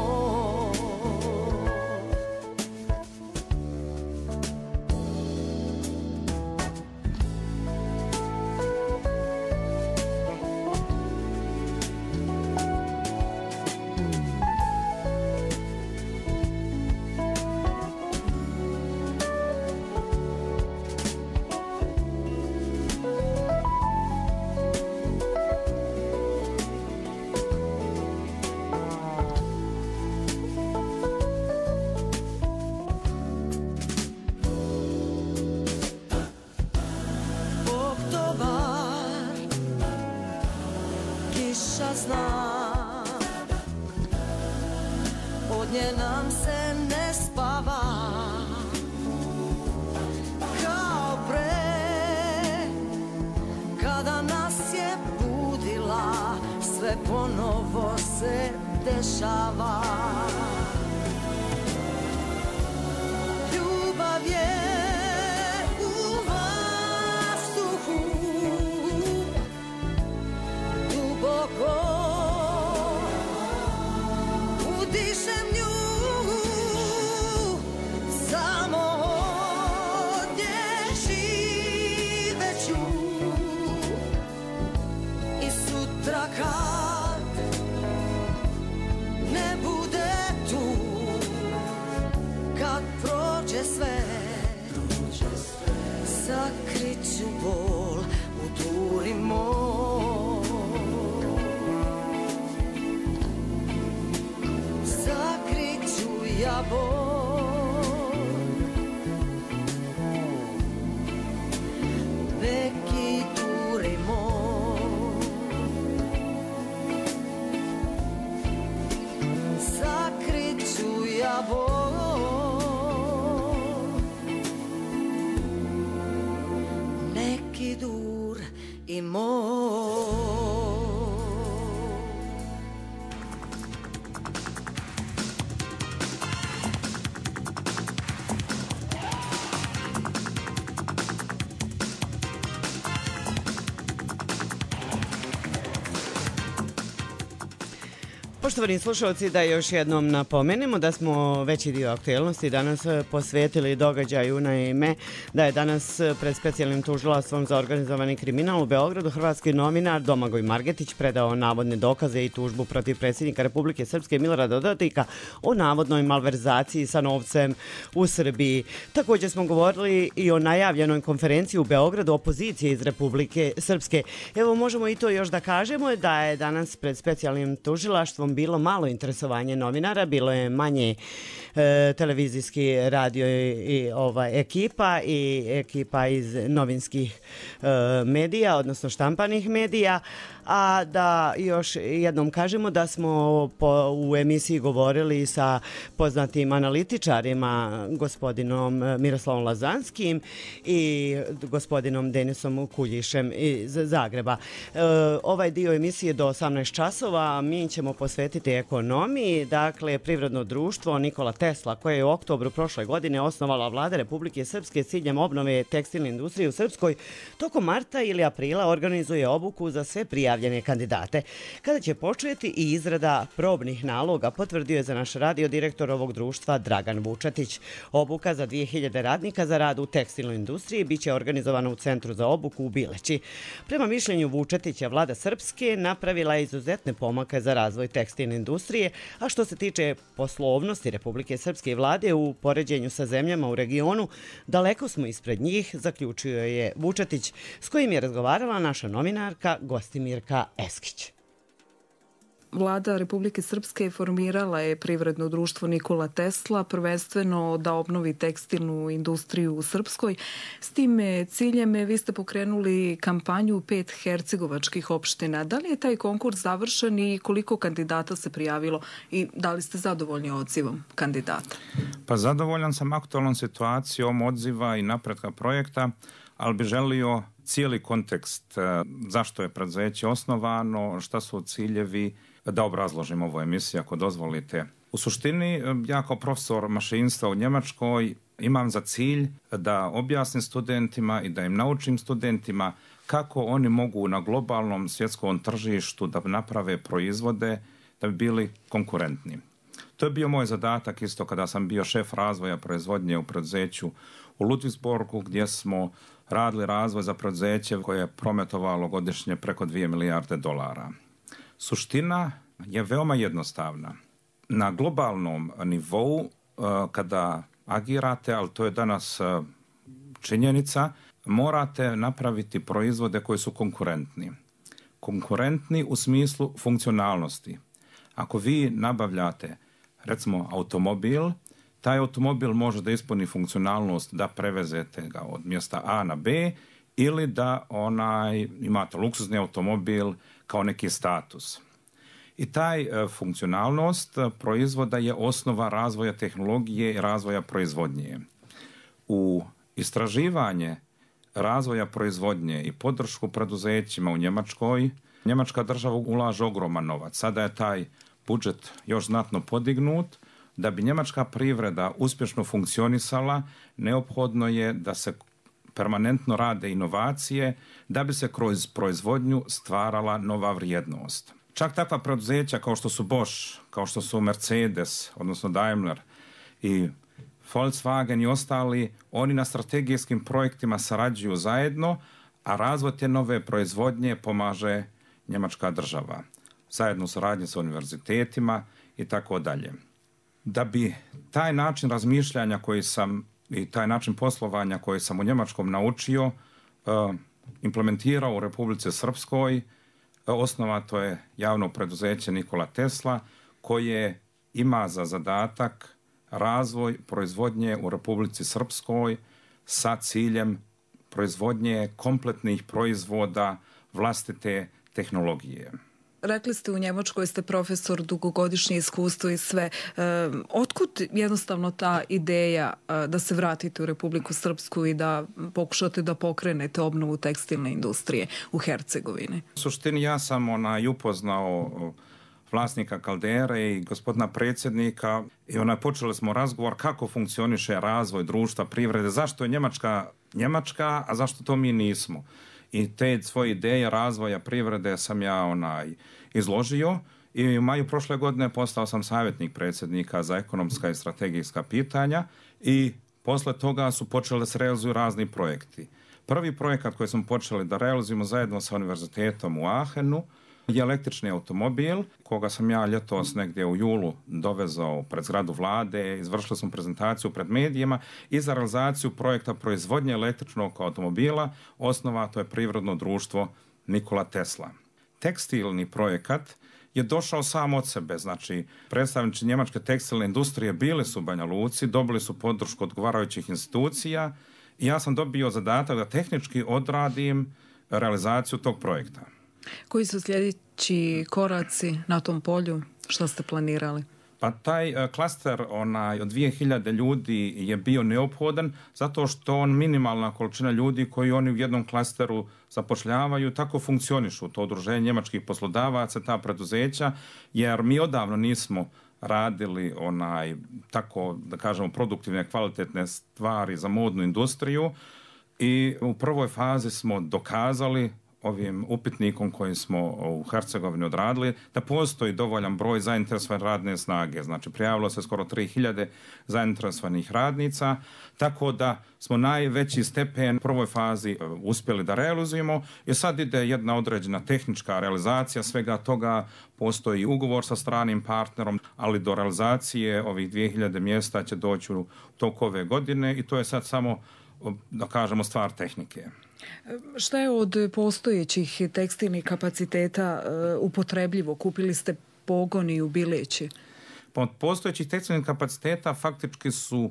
Od nje nam se ne spava, kao pre, kada nas je budila, sve ponovo se dešava. Ljubav je u vazduhu, duboko udišem nju, samo ovdje javor, veki duri moj, sakrit ću javor, neki dur i moj. Poštovani slušalci, da još jednom napomenemo da smo veći dio aktuelnosti danas posvetili događaju, naime da je danas pred specijalnim tužilaštvom za organizovani kriminal u Beogradu hrvatski novinar Domagoj Margetić predao navodne dokaze i tužbu protiv predsjednika Republike Srpske Milorada Dodika o navodnoj malverzaciji sa novcem u Srbiji. Također smo govorili i o najavljenoj konferenciji u Beogradu opozicije iz Republike Srpske. Evo, možemo i to još da kažemo da je danas pred specijalnim tužilaštvom bilo malo interesovanje novinara, bilo je manje e, televizijski radio i, i ova ekipa i ekipa iz novinskih e, medija, odnosno štampanih medija, a da još jednom kažemo da smo po, u emisiji govorili sa poznatim analitičarima, gospodinom Miroslavom Lazanskim i gospodinom Denisom Kuljišem iz Zagreba. E, ovaj dio emisije do osamnaest časova mi ćemo posvetiti ekonomiji. Dakle, privredno društvo Nikola Tesla, koje je u oktobru prošle godine osnovala vlada Republike Srpske s ciljem obnove tekstilne industrije u Srpskoj, tokom marta ili aprila organizuje obuku za sve prijavljene kandidate. Kada će početi i izrada probnih naloga, potvrdio je za naš radio direktor ovog društva Dragan Vučetić. Obuka za dvije hiljade radnika za rad u tekstilnoj industriji biće organizovana u Centru za obuku u Bileći. Prema mišljenju Vučetića, vlada Srpske napravila je izuzetne pomake za razvoj tekstilne industrije, a što se tiče poslovnosti Republike Srpske i vlade u poređenju sa zemljama u regionu, daleko smo ispred njih, zaključio je Vučetić, s kojim je razgovarala naša novinarka Gostimirka Eskić. Vlada Republike Srpske formirala je privredno društvo Nikola Tesla, prvenstveno da obnovi tekstilnu industriju u Srpskoj. S tim ciljem vi ste pokrenuli kampanju u pet hercegovačkih opština. Da li je taj konkurs završen i koliko kandidata se prijavilo i da li ste zadovoljni odzivom kandidata? Pa zadovoljan sam aktualnom situacijom odziva i napretka projekta, ali bi želio cijeli kontekst zašto je preduzeće osnovano, šta su ciljevi, da obrazložim ovu emisiju ako dozvolite. U suštini, ja kao profesor mašinstva u Njemačkoj imam za cilj da objasnim studentima i da im naučim studentima kako oni mogu na globalnom svjetskom tržištu da naprave proizvode da bi bili konkurentni. To je bio moj zadatak isto kada sam bio šef razvoja proizvodnje u preduzeću u Ludwigsburgu, gdje smo radili razvoj za preduzeće koje je prometovalo godišnje preko dvije milijarde dolara. Suština je veoma jednostavna. Na globalnom nivou, kada agirate, ali to je danas činjenica, morate napraviti proizvode koji su konkurentni. Konkurentni u smislu funkcionalnosti. Ako vi nabavljate, recimo, automobil, taj automobil može da ispuni funkcionalnost da prevezete ga od mjesta A na B ili da onaj, imate luksuzni automobil kao neki status. I taj e, funkcionalnost proizvoda je osnova razvoja tehnologije i razvoja proizvodnje. U istraživanje razvoja proizvodnje i podršku preduzećima u Njemačkoj, Njemačka država ulaže ogroman novac. Sada je taj budžet još znatno podignut. Da bi njemačka privreda uspješno funkcionisala, neophodno je da se permanentno rade inovacije, da bi se kroz proizvodnju stvarala nova vrijednost. Čak takva preduzeća kao što su Bosch, kao što su Mercedes, odnosno Daimler i Volkswagen i ostali, oni na strategijskim projektima sarađuju zajedno, a razvoj te nove proizvodnje pomaže njemačka država. Zajedno u saradnji sa univerzitetima i tako dalje. Da bi taj način razmišljanja koji sam i taj način poslovanja koji sam u Njemačkom naučio uh, implementirao u Republici Srpskoj, uh, osnovato je javno preduzeće Nikola Tesla koje ima za zadatak razvoj proizvodnje u Republici Srpskoj sa ciljem proizvodnje kompletnih proizvoda vlastite tehnologije. Rekli ste u Njemačkoj ste profesor, dugogodišnje iskustvo i sve. E, otkud jednostavno ta ideja e, da se vratite u Republiku Srpsku i da pokušate da pokrenete obnovu tekstilne industrije u Hercegovini? U suštini ja sam onaj upoznao vlasnika Kaldere i gospodina predsjednika i onaj počeli smo razgovor kako funkcioniše razvoj društva, privrede, zašto je Njemačka Njemačka, a zašto to mi nismo. I te svoje ideje razvoja privrede sam ja onaj izložio i u maju prošle godine postao sam savjetnik predsjednika za ekonomska i strategijska pitanja i posle toga su počeli da se realizuju razni projekti. Prvi projekat koji smo počeli da realizujemo zajedno sa univerzitetom u Aachenu je električni automobil, koga sam ja ljetos negdje u julu dovezao pred zgradu vlade, izvršili smo prezentaciju pred medijima i za realizaciju projekta proizvodnje električnog automobila osnovato je privredno društvo Nikola Tesla. Tekstilni projekat je došao sam od sebe, znači predstavnici njemačke tekstilne industrije bili su u Banja Luci, dobili su podršku odgovarajućih institucija i ja sam dobio zadatak da tehnički odradim realizaciju tog projekta. Koji su sljedeći koraci na tom polju? Što ste planirali? Pa taj uh, klaster onaj, od dvije hiljade ljudi je bio neophodan zato što on minimalna količina ljudi koji oni u jednom klasteru zapošljavaju, tako funkcionišu to udruženje njemačkih poslodavaca, ta preduzeća, jer mi odavno nismo radili onaj tako, da kažemo, produktivne, kvalitetne stvari za modnu industriju i u prvoj fazi smo dokazali ovim upitnikom koji smo u Hercegovini odradili, da postoji dovoljan broj zainteresovane radne snage. Znači, prijavilo se skoro tri hiljade zainteresovanih radnica, tako da smo najveći stepen u prvoj fazi uspjeli da realizujemo i sad ide jedna određena tehnička realizacija svega toga, postoji ugovor sa stranim partnerom, ali do realizacije ovih dvije hiljade mjesta će doći u toku ove godine i to je sad samo, da kažemo, stvar tehnike. Šta je od postojećih tekstilnih kapaciteta uh, upotrebljivo? Kupili ste pogoni u Bileći? Od postojećih tekstilnih kapaciteta faktički su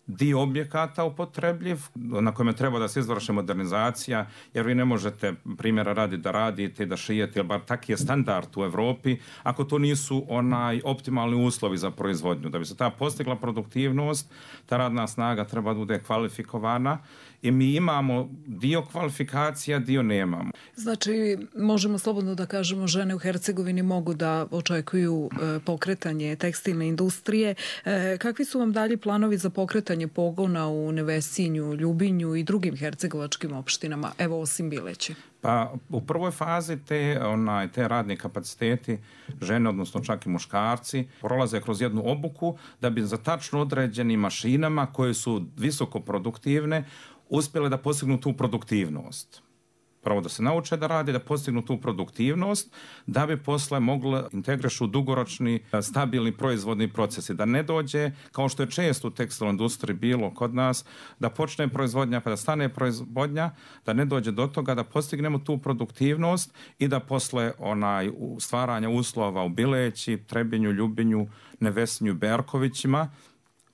dio objekata upotrebljiv, na kojem treba da se izvrši modernizacija, jer vi ne možete primjera radi da radite i da šijete, jer bar tak je standard u Evropi, ako to nisu onaj optimalni uslovi za proizvodnju. Da bi se ta postigla produktivnost, ta radna snaga treba da bude kvalifikovana i mi imamo dio kvalifikacija, dio nemamo. Znači, možemo slobodno da kažemo, žene u Hercegovini mogu da očekuju e, pokretanje tekstilne industrije. E, kakvi su vam dalje planovi za pokretanje pogona u Nevesinju, Ljubinju i drugim hercegovačkim opštinama, evo osim Bileći? Pa u prvoj fazi te, onaj, te radni kapaciteti, žene, odnosno čak i muškarci, prolaze kroz jednu obuku da bi za tačno određenim mašinama koje su visoko produktivne uspjele da postignu tu produktivnost. Prvo da se nauče da rade, da postignu tu produktivnost, da bi posle mogli integrišu dugoročni, stabilni proizvodni procesi. Da ne dođe, kao što je često u tekstilnoj industriji bilo kod nas, da počne proizvodnja pa da stane proizvodnja, da ne dođe do toga da postignemo tu produktivnost i da posle onaj stvaranja uslova u Bileći, Trebinju, Ljubinju, Nevesinju, Berkovićima,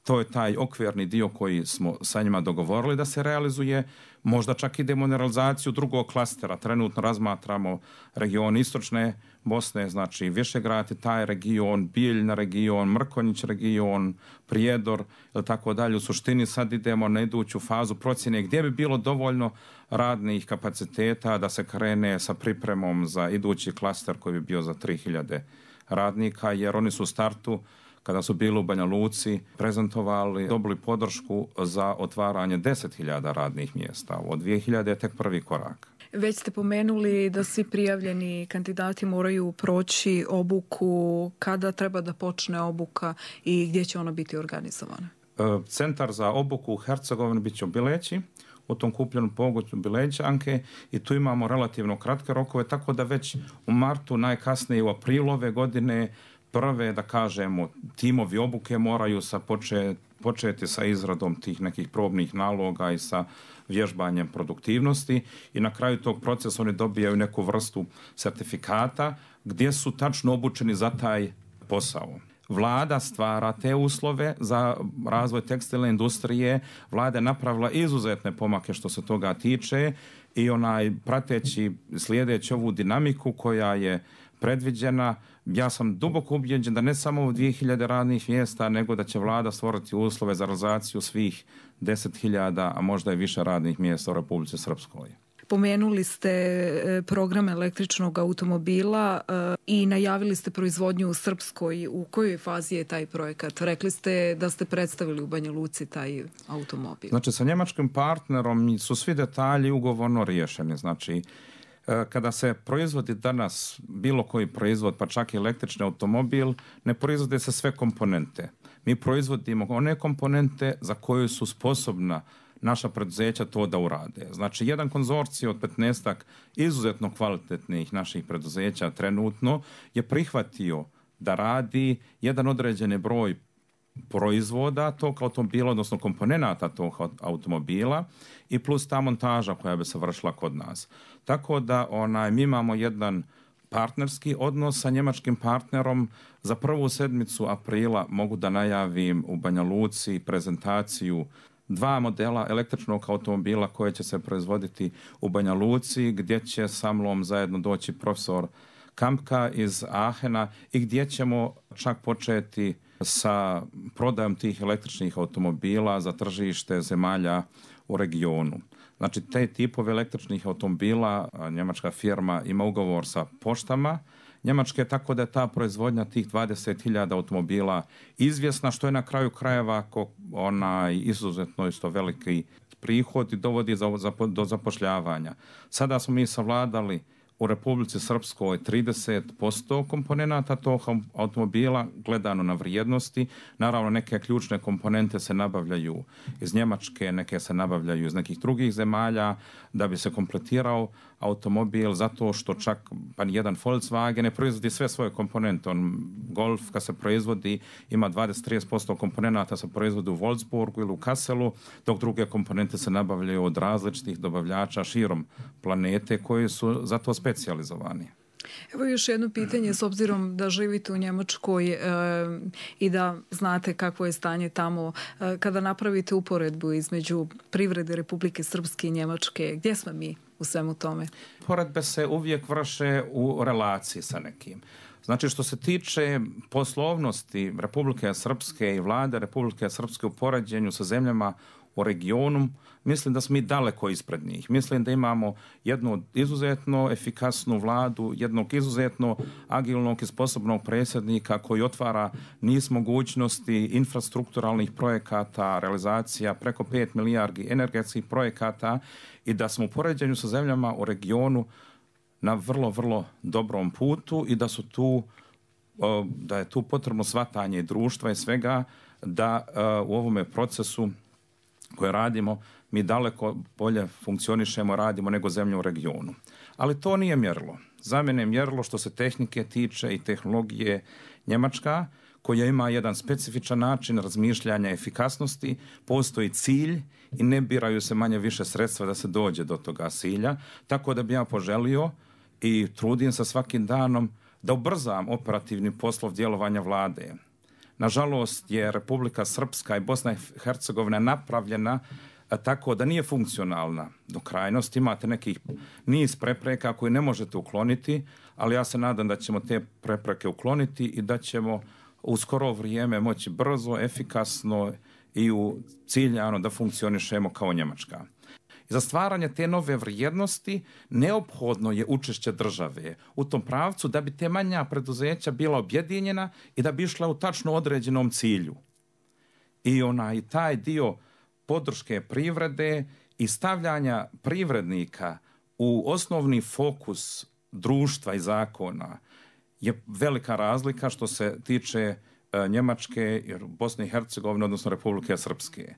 to je taj okvirni dio koji smo sa njima dogovorili da se realizuje. Možda čak idemo na realizaciju drugog klastera. Trenutno razmatramo region istočne Bosne, znači Višegrad i taj region, Bijeljna region, Mrkonjić region, Prijedor ili tako dalje. U suštini sad idemo na iduću fazu procjene gdje bi bilo dovoljno radnih kapaciteta da se krene sa pripremom za idući klaster koji bi bio za tri hiljade radnika, jer oni su u startu, kada su bili u Banja Luci, prezentovali, dobili podršku za otvaranje deset hiljada radnih mjesta. Od dvije hiljade je tek prvi korak. Već ste pomenuli da svi prijavljeni kandidati moraju proći obuku. Kada treba da počne obuka i gdje će ona biti organizovana? Centar za obuku u Hercegovini bit će u Bileći, u tom kupljenom pogonu Bilećanke i tu imamo relativno kratke rokove, tako da već u martu, najkasnije u aprilu ove godine, prve, da kažemo, timovi obuke moraju sa počet, početi sa izradom tih nekih probnih naloga i sa vježbanjem produktivnosti i na kraju tog procesa oni dobijaju neku vrstu sertifikata gdje su tačno obučeni za taj posao. Vlada stvara te uslove za razvoj tekstilne industrije. Vlada je napravila izuzetne pomake što se toga tiče i onaj prateći, slijedeći ovu dinamiku koja je predviđena, ja sam duboko ubijeđen da ne samo u dvije hiljade radnih mjesta, nego da će vlada stvoriti uslove za realizaciju svih deset hiljada, a možda i više radnih mjesta u Republici Srpskoj. Pomenuli ste program električnog automobila i najavili ste proizvodnju u Srpskoj. U kojoj fazi je taj projekat? Rekli ste da ste predstavili u Banja Luci taj automobil. Znači, sa njemačkim partnerom su svi detalji ugovorno riješeni. Znači, kada se proizvodi danas bilo koji proizvod, pa čak i električni automobil, ne proizvode se sve komponente. Mi proizvodimo one komponente za koje su sposobna naša preduzeća to da urade. Znači, jedan konzorcij od petnaestak izuzetno kvalitetnih naših preduzeća trenutno je prihvatio da radi jedan određeni broj proizvoda tog automobila, odnosno komponenata tog automobila i plus ta montaža koja bi se vršila kod nas. Tako da onaj, mi imamo jedan partnerski odnos sa njemačkim partnerom. Za prvu sedmicu aprila mogu da najavim u Banja Luci prezentaciju dva modela električnog automobila koje će se proizvoditi u Banja Luci, gdje će sa mnom zajedno doći profesor Kampka iz Aachena i gdje ćemo čak početi sa prodajom tih električnih automobila za tržište zemalja u regionu. Znači, te tipove električnih automobila njemačka firma ima ugovor sa poštama Njemačke, tako da je ta proizvodnja tih dvadeset hiljada automobila izvjesna, što je na kraju krajeva ako onaj izuzetno isto veliki prihod i dovodi za, za, do zapošljavanja. Sada smo mi savladali u Republici Srpskoj trideset posto komponenata tog automobila gledano na vrijednosti. Naravno, neke ključne komponente se nabavljaju iz Njemačke, neke se nabavljaju iz nekih drugih zemalja da bi se kompletirao automobil, zato što čak pa jedan Volkswagen ne proizvodi sve svoje komponente. On, Golf kad se proizvodi ima dvadeset do trideset posto komponenata se proizvodi u Wolfsburgu ili u Kasselu, dok druge komponente se nabavljaju od različitih dobavljača širom planete koji su za to specijalizovani. Evo još jedno pitanje, s obzirom da živite u Njemačkoj e, i da znate kakvo je stanje tamo, e, kada napravite uporedbu između privrede Republike Srpske i Njemačke, gdje smo mi u svemu tome? Poredbe se uvijek vrše u relaciji sa nekim. Znači, što se tiče poslovnosti Republike Srpske i vlade Republike Srpske u poređenju sa zemljama u regionu, mislim da smo mi daleko ispred njih. Mislim da imamo jednu izuzetno efikasnu vladu, jednog izuzetno agilnog i sposobnog predsjednika koji otvara niz mogućnosti infrastrukturalnih projekata, realizacija preko pet milijardi energetskih projekata i da smo u poređenju sa zemljama u regionu na vrlo, vrlo dobrom putu i da su tu, da je tu potrebno shvatanje društva i svega da u ovome procesu koje radimo, mi daleko bolje funkcionišemo, radimo nego zemlje u regionu. Ali to nije mjerilo. Za mene je mjerilo što se tehnike tiče i tehnologije Njemačka, koja ima jedan specifičan način razmišljanja efikasnosti, postoji cilj i ne biraju se manje više sredstva da se dođe do toga cilja, tako da bi ja poželio i trudim se svakim danom da ubrzam operativni poslov djelovanja vlade. Nažalost je Republika Srpska i Bosna i Hercegovina napravljena tako da nije funkcionalna do krajnosti. Imate nekih niz prepreka koje ne možete ukloniti, ali ja se nadam da ćemo te prepreke ukloniti i da ćemo u skoro vrijeme moći brzo, efikasno i u ciljano da funkcionišemo kao Njemačka. Za stvaranje te nove vrijednosti neophodno je učešće države u tom pravcu da bi te manja preduzeća bila objedinjena i da bi išla u tačno određenom cilju. I onaj taj dio podrške privrede i stavljanja privrednika u osnovni fokus društva i zakona je velika razlika što se tiče Njemačke, Bosne i Hercegovine, odnosno Republike Srpske.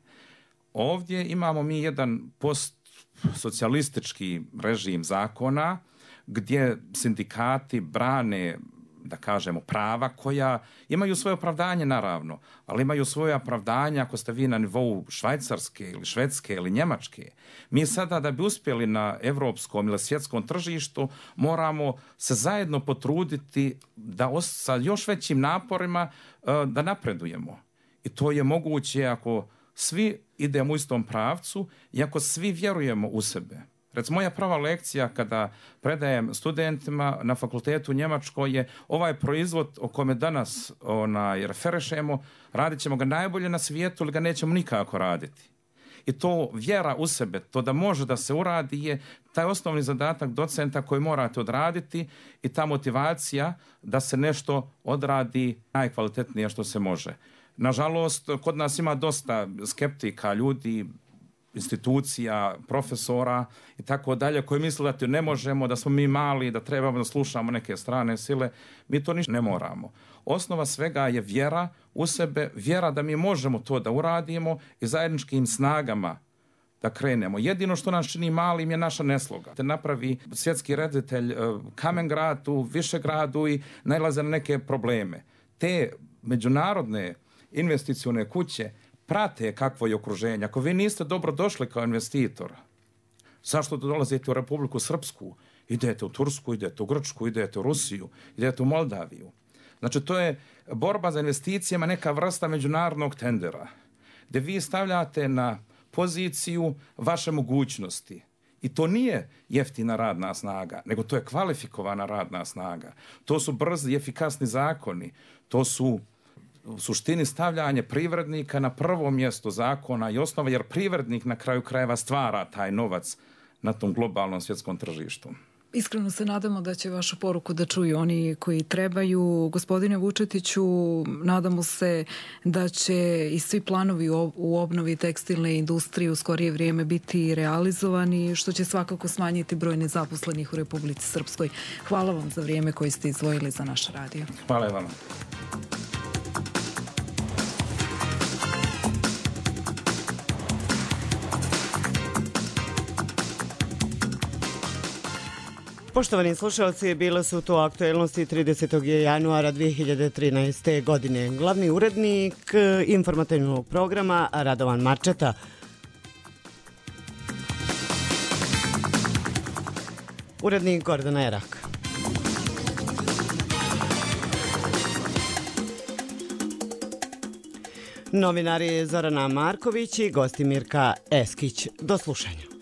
Ovdje imamo mi jedan postsocijalistički režim zakona gdje sindikati brane da kažemo, prava koja imaju svoje opravdanje naravno, ali imaju svoje opravdanje ako ste vi na nivou Švajcarske ili Švedske ili Njemačke. Mi sada da bi uspjeli na evropskom ili svjetskom tržištu moramo se zajedno potruditi da os- sa još većim naporima uh, da napredujemo. I to je moguće ako svi idemo u istom pravcu i ako svi vjerujemo u sebe. Recimo, moja prva lekcija kada predajem studentima na fakultetu u Njemačkoj je ovaj proizvod o kome danas onaj, referišemo, radit ćemo ga najbolje na svijetu ili ga nećemo nikako raditi. I to vjera u sebe, to da može da se uradi je taj osnovni zadatak docenta koji morate odraditi i ta motivacija da se nešto odradi najkvalitetnije što se može. Nažalost, kod nas ima dosta skeptika, ljudi, institucija, profesora i tako dalje, koji misle da to ne možemo, da smo mi mali, da trebamo da slušamo neke strane sile. Mi to ništa ne moramo. Osnova svega je vjera u sebe, vjera da mi možemo to da uradimo i zajedničkim snagama da krenemo. Jedino što nas čini malim je naša nesloga. Da napravi svjetski reditelj Kamengrad u Višegradu i nailaze na neke probleme. Te međunarodne investicione kuće prate kakvo je okruženje. Ako vi niste dobro došli kao investitor, zašto dolazite u Republiku Srpsku? Idete u Tursku, idete u Grčku, idete u Rusiju, idete u Moldaviju. Znači, to je borba za investicijama, neka vrsta međunarodnog tendera, gdje vi stavljate na poziciju vaše mogućnosti. I to nije jeftina radna snaga, nego to je kvalifikovana radna snaga. To su brzi i efikasni zakoni. To su u suštini stavljanje privrednika na prvo mjesto zakona i osnova, jer privrednik na kraju krajeva stvara taj novac na tom globalnom svjetskom tržištu. Iskreno se nadamo da će vašu poruku da čuju oni koji trebaju. Gospodine Vučetiću, nadamo se da će i svi planovi u obnovi tekstilne industrije u skorije vrijeme biti realizovani, što će svakako smanjiti broj nezaposlenih u Republici Srpskoj. Hvala vam za vrijeme koje ste izdvojili za naš radio. Hvala vam. Poštovani slušalci, bile su to aktuelnosti tridesetog januara dvije hiljade trinaeste. godine. Glavni urednik informativnog programa Radovan Marčeta. Urednik Gordana Erak. Novinari Zorana Marković i gosti Mirka Eskić. Do slušanja.